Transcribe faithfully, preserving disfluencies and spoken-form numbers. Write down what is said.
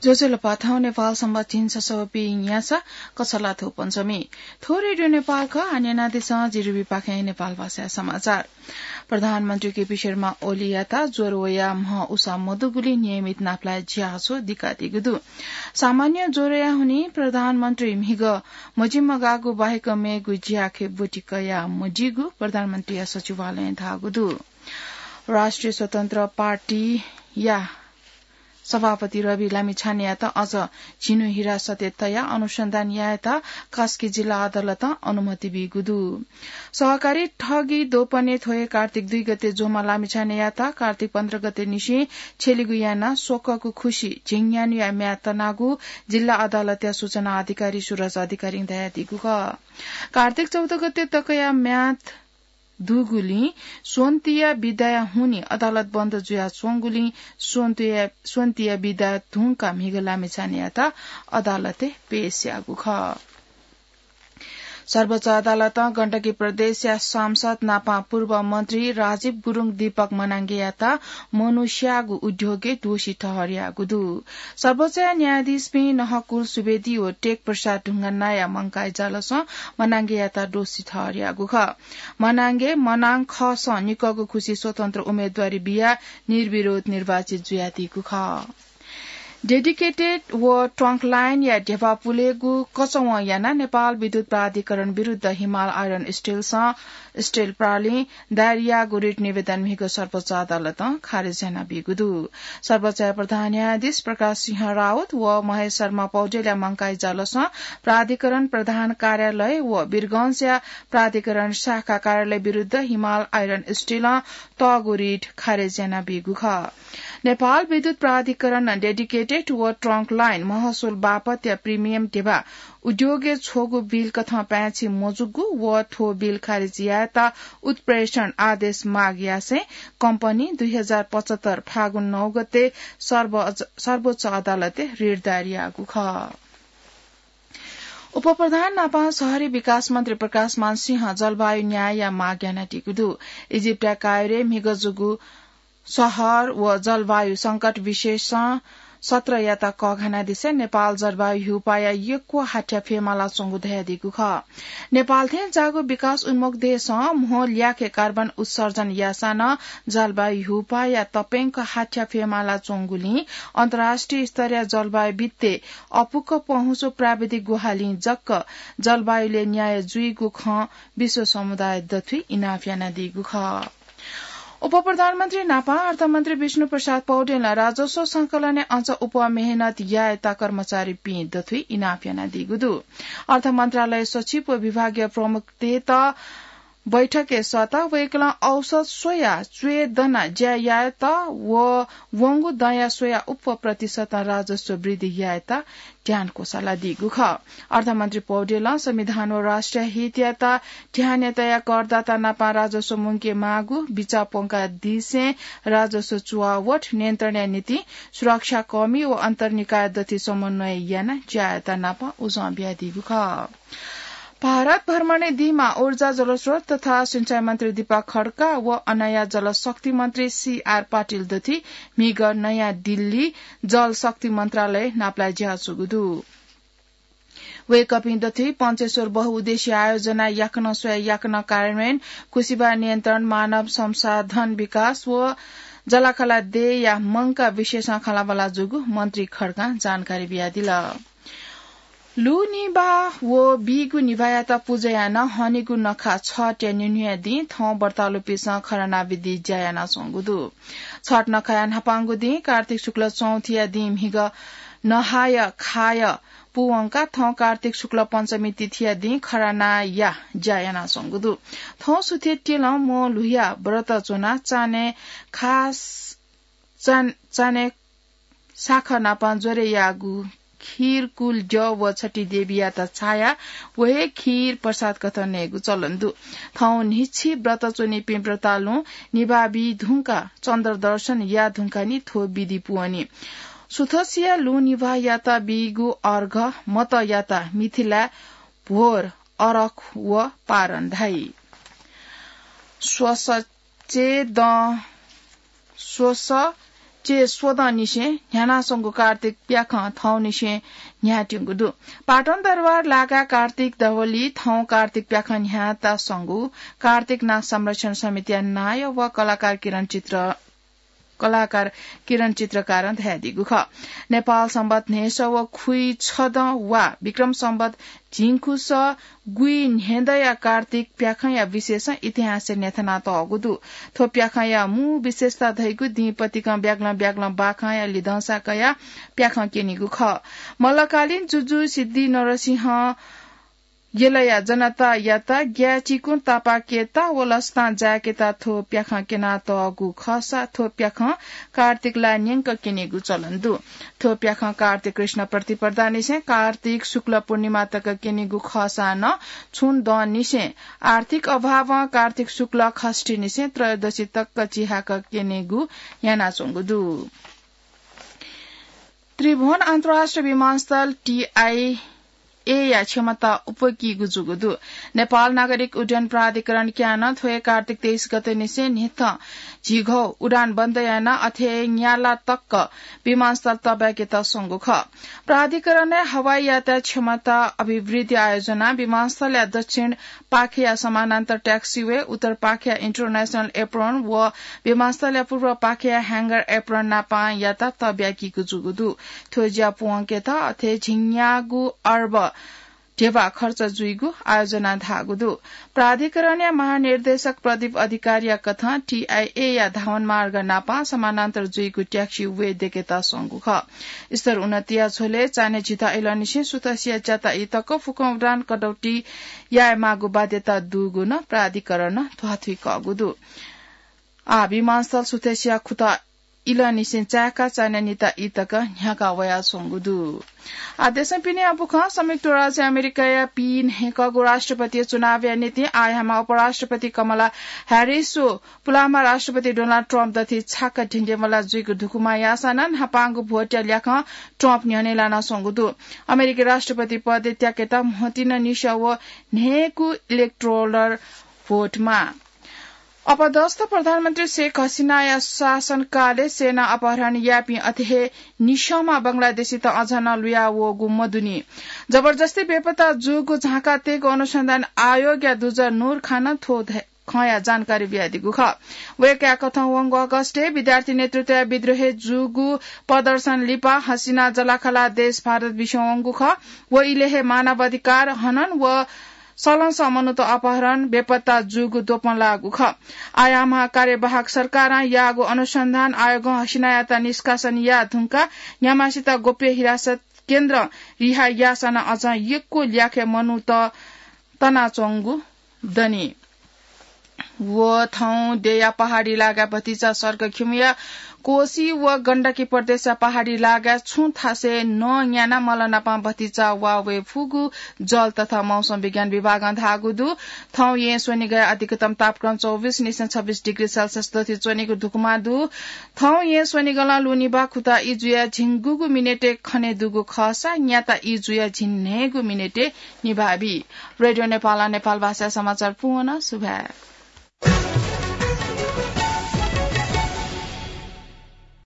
ज्वजलपा, थौं नेपाल संवत् झिंछसः व पीन्यासः कछलाथ्व पञ्चमी। थ्व रेडियो नेपाल खः, आः न्यनादिसँ जिरिबी पाखें नेपाल भाषाया समाचार। प्रधानमन्त्री केपी शर्मा ओलीयात ज्वर वयाः म्ह उसाः मदुगुलिं नियमित नापलाये ज्याझ्वः दिकादीगु दु। सामान्य ज्वरया हुनिं प्रधानमन्त्री म्हिगः मजिमगाःगु बाहेक मेगु ज्याखँय् ब्वति कया मदीगु प्रधानमन्त्रीया सचिवालयं धाःगु दु। राष्ट्रिय स्वतन्त्र पार्टीया सभापति रवि लामिछानेयात अझ झिन्हु हिरासतय् तयाः अनुसन्धान यायेत कास्की जिल्ला अदालतं अनुमति बीगु दु। सहकारी ठगी दोपनय् थ्व हे कार्तिक दुई गते ज्वःम्ह लामिछानेयात कार्तिक पन्ध्र गते निसें छ्यलिगु यानाः स्वकःगु खुसि झिंन्यान्हुया म्याद तनागु जिल्ला अदालतया सूचना अधिकारी सुरज अधिकारीं धयादीगु खः। कार्तिक चौध गते तकया म्याद दुगुलिं स्वन्तिया बिदाया हुनिं अदालत बन्द जुयाच्वंगुलिं स्वन्तिया, स्वन्तिया बिदा धुंकाः म्हिगः लामिछानेयात अदालतय् पेश याःगु खः। सर्वोच्च अदालतं गण्डकी प्रदेशया सांसद नापं पूर्व मन्त्री राजीव गुरुङ दीपक मनाङ्गेयात मनुष्याःगु उद्योगय् दोषी ठहर याःगु दु। सर्वोच्चया न्यायाधीशपिं नहकुल सुवेदी व टेक प्रसाद ढुङ्गानाया मंकाइ जालसं मनाङ्गेयात दोषी ठहर याःगु खः। मनाङ्गे मनाङ खःसं निकःगु खुसि स्वतन्त्र उम्मेदवारी बियाः निर्विरोध निर्वाचित जुयादीगु खः। डेडिकेटेड व ट्रङ्क लाइनया ध्यबा पुलेगु कचवं यानाः नेपाल विद्युत प्राधिकरण विरुद्ध हिमाल आइरन स्टिलसं, स्टिल प्रालिं दायर याःगु रिट निवेदन म्हिगः सर्वोच्च अदालतं खारेज यानाबीगु दु। सर्वोच्चया प्रधान न्यायाधीश प्रकाश सिंह राउत व महेश शर्मा पौडेलया मंकाइ जालसं प्राधिकरण प्रधान कार्यालय व वीरगंजया प्राधिकरण शाखा कार्यालय विरुद्ध हिमाल आइरन स्टिलं तःगु रिट खारेज यानाबीगु खः। नेपाल विद्युत प्राधिकरणं डेडिकेटेड व ट्रङ्क लाइन महसुल बापतया प्रिमियम ध्यबा उद्योगय् छ्वःगु बिल कथं पाय्छि मजूगु व थ्व बिल खारेज यायेत उत्प्रेषण आदेश माग यासें कम्पनीं दुई हजार पचहत्तर फागुन नौ गते सर्वोच्च, सर्वोच्च अदालतय् रिट दायर याःगु खः। उपप्रधान नापं शहरी विकास मन्त्री प्रकाशमान सिंहं जलवायु न्यायया माग यानादीगु दु। इजिप्टया कायरोय् म्हिगः जूगु शहर व जलवायु संकट विशेषज्ञ सत्रयात कःघानादिसें नेपाल जलवायु ह्यूपाःया यक्व हाथ्या फ्यमालाच्वंगु धयादीगु खः। नेपाल थें जाःगु विकास उन्मुख देशं म्हो ल्याखय् कार्बन उत्सर्जन याःसां नं जलवायु ह्यूपाःया तप्यंक हाथ्या फ्यमालाच्वंगुलिं अन्तर्राष्ट्रिय स्तरया जलवायुविद्तय् अपुक्क पहुँचु प्राविधिक ग्वाहालिं जक्क जलवायुलय् न्याय जुइगु खँ विश्व समुदाय दथुइ इनाप यानादीगु खः। उपप्रधानमन्त्री नापं अर्थमन्त्री विष्णु प्रसाद पौडेलं राजस्व संकलनय् अझ अप्वः मेहनत यायेत कर्मचारीपिं दथुइ इनाप यानादीगु दु। अर्थ मन्त्रालय सचिव व विभागीय प्रमुखतय्त बैठकय् सःताः वय्कलं औसत स्वयाः च्वय् दनाः ज्या यायेत व वंगु दँया स्वयाः अप्वः प्रतिशतं राजस्व वृद्धि यायेत ध्यान क्वसालादीगु खः। अर्थमन्त्री पौडेलं संविधान व राष्ट्रिय हितयात ध्यानय् तयाः करदाता नापं राजस्व मुंके माःगु बिचाः प्वंकादिसें राजस्व चुवावट नियन्त्रणया निंतिं सुरक्षाकर्मी व अन्तर्निकाय दथुइ समन्वय यानाः ज्या यायेत नापं उजं बियादीगु खः। भारत भ्रमणय् दीम्ह ऊर्जा, जलस्रोत तथा सिँचाइ मन्त्री दीपक खड्का व अनया जलशक्ति मन्त्री सीआर पाटिल दथुइ म्हिगः नयाँ दिल्ली जलशक्ति मन्त्रालय नापलाये ज्याझ्वःगु दु। वय्कःपिं दथुइ पञ्चेश्वर बहुउद्देश्य आयोजना याकनं स्वयाः याकनं कार्यान्वयन, कुसिबा नियन्त्रण, मानव संसाधन विकास व जलाखला देय्या मंकाः विषयसं खँल्हाबल्हा जूगु मन्त्री खड्कां जानकारी बियादिल। लुँ निभाः व बीगु निभाःयात पुजा यानाः हनेगु नखः छठया निन्हुया दिं थौं व्रतालुपिन्सं खराना विधि ज्या यानाच्वंगु दु। छठ नखःया न्हापांगु दिं कार्तिक शुक्ल चौथीया दिं म्हिगः नहाय खाय पूवंकाः थौं कार्तिक शुक्ल पञ्चमी तिथिया दिं खरानाया ज्या यानाच्वंगु दु। थौं सुथय् तिलं म्वः ल्हुयाः व्रत च्वनाः चान्हय् खास चान-, चान्हय् साखः नापं ज्वरे याःगु खीर कुल द्यः व छठी देवीयात छायाः व हे खीर प्रसाद कथं नयेगु चलन दु। थौं न्हिच्छि व्रत च्वनीपिं व्रतालुं निभाः बी धुंकाः चन्द्र दर्शन याः धुंकाः नि थ्व विधि पूवनी। सुथसिया लुँ निभाःयात बीगु अर्घ मतःयात मिथिलाय् भोर अरख व पारण धाइ। स्वस चे दँ, स्वस चे स्वदँनिसें न्ह्यानाच्वंगु कार्तिक प्याखं थौंनिसें न्ह्याःत्यूगु दु। पाटन दरबार लागा कार्तिक दवली थौं कार्तिक प्याखं न्ह्याताच्वंगु कार्तिक नाच संरक्षण समितिया नायः व कलाकार किरण चित्र कलाकार किरण चित्रकारं धयादीगु खः। नेपाल संवत न्हय्‌सः व खुइ छदँ वा विक्रम संवत झिंखुसः गुइ न्हेदँया कार्तिक प्याखंया विशेषं इतिहासय् न्ह्यथनातःगु दु। थ्व प्याखंया मू विशेषता धइगु दिं पतिकं ब्याग्लं ब्याग्लं बाखंया लिधंसा कयाः प्याखं क्यनीगु खः। मल्लकालीन जुजु सिद्धि नरसिंह यलया जनतायात ग्याय् चिकुं तापाकेत व लसतां जाय्‌केत थ्व प्याखं क्यनातःगु खःसा थ्व प्याखं कार्तिक लाः न्यंक क्यनीगु चलन दु। थ्व प्याखं कार्तिक कृष्ण प्रतिपदांनिसें कार्तिक शुक्ल पूर्णिमा तक क्यनीगु खःसा नं छुं दँनिसें आर्थिक अभावं कार्तिक शुक्ल खष्ठीनिसें त्रयोदशी तक चिहाकः क्यनेगु यानाच्वंगु दु। त्रिभुवन अन्तर्राष्ट्रिय विमानस्थल टीआई एया क्षमता उप्वकीगु जूगु दु। नेपाल नागरिक उड्डयन प्राधिकरण क्यानं थ्व हे कार्तिक तेइस गते निसें न्हिथं झिघौ उडान बन्द यानाः अथे न्याला तक विमानस्थल तब्याकेत स्वंगु खः। प्राधिकरणय् हवाई यातायात क्षमता अभिवृद्धि आयोजना विमानस्थलया दक्षिण पाखेया समानान्तर taxiway, उत्तर पाखेया international apron व विमानस्थलया पूर्व पाखेया hangar apron नापं यातायात तब्याकीगु जूगु दु। थ्व ज्या पूवंकेत अथे झिंन्यागू अर्ब ध्यबा खर्च जुइगु आयोजना धाःगु दु। प्राधिकरणया महानिर्देशक प्रदीप अधिकारीया कथं टीआईएया धावनमार्ग नापं समानान्तर जुइगु taxiway दयेकेत स्वंगु खः। स्तर उन्नतिया झ्वलय् चान्हय् झिता इलंनिसें सुथसिया च्याता ई तक फुक्कं उडान कटौती यायेमाःगु बाध्यता दुगु नं प्राधिकरणं ध्वाथुइकःगु दु। आः विमानस्थल सुथसिया खुता इलंनिसें चाय्‌काः चान्हय् निता ई तक न्ह्याका वयाच्वंगु दु। आः देशं पिने अबुखं संयुक्त राज्य अमेरिकाया पीन्हय्‌कःगु राष्ट्रपति चुनावया निंतिं आःयामा उपराष्ट्रपति कमला ह्यारिस व पुलांम्ह राष्ट्रपति डोनाल्ड ट्रम्प दथुइ छाक्क ढिंढिंबल्लाः जुइगु धुकुमा याःसां नं न्हापांगु भोटया ल्याखं ट्रम्प न्ह्यःने लानाच्वंगु दु। अमेरिकी राष्ट्रपति पदय् त्याकेत म्हतिन निस्याः व न्हय्‌गू electoral vote माः। अपदस्थ प्रधानमन्त्री शेख हसिनाया शासनकालय् सेना अपहरण याःपिं अथे हे निस्याःम्ह बंगलादेशीत अझ नं लुया वःगु मदुनि। जबरजस्ती बेपत्ता जूगु झांकातयेगु अनुसन्धान आयोगया दुजः नूर खानं थ्व ध-, खँया जानकारी बियादीगु खः। वय्‌कःया कथं वंगु अगस्तय् विद्यार्थी नेतृत्वया विद्रोहय् जूगु प्रदर्शन लिपा हसिना जलाखला देश भारत बिस्युं वंगु खः। व इलय् हे मानवाधिकार हनन व सलंसः मनूत अपहरण, बेपत्ता जूगु द्वपं लाःगु खः। आःयामा कार्यवाहक सरकारं याःगु अनुसन्धान आयोगं हसिनायात निष्कासन याये धुंकाः न्ह्याम्हसित गोप्य हिरासत केन्द्रं रिहा याःसां नं अझं यक्व ल्याखय् मनूत तनाच्वंगु दनि। व थौं देया पहाडी लागाय् भतिचा सडक खिउँया कोशी व गण्डकी प्रदेशया पहाडी लागाय् छुं थासय् नं न्यानाः मल्ल नापं भतिचा वा वये फुगु जल तथा मौसम विज्ञान विभागं धाःगु दु। थौं येँ स्वनिगःया अधिकतम तापक्रम चौबिस निसें छब्बिस डिग्री सेल्सियस दथुइ च्वनीगु धुकुमा दु। थौं येँ स्वनिगलं लुँ निभाः खुता ई जुयाः झिंगूगु मिनेटय् खने दुगु खःसा न्याता ई जुयाः झिंन्हय्‌गू मिनेटय् निभाः बी। रेडियो नेपालं नेपाल भाषाय् समाचार पूवन। सुभाय्।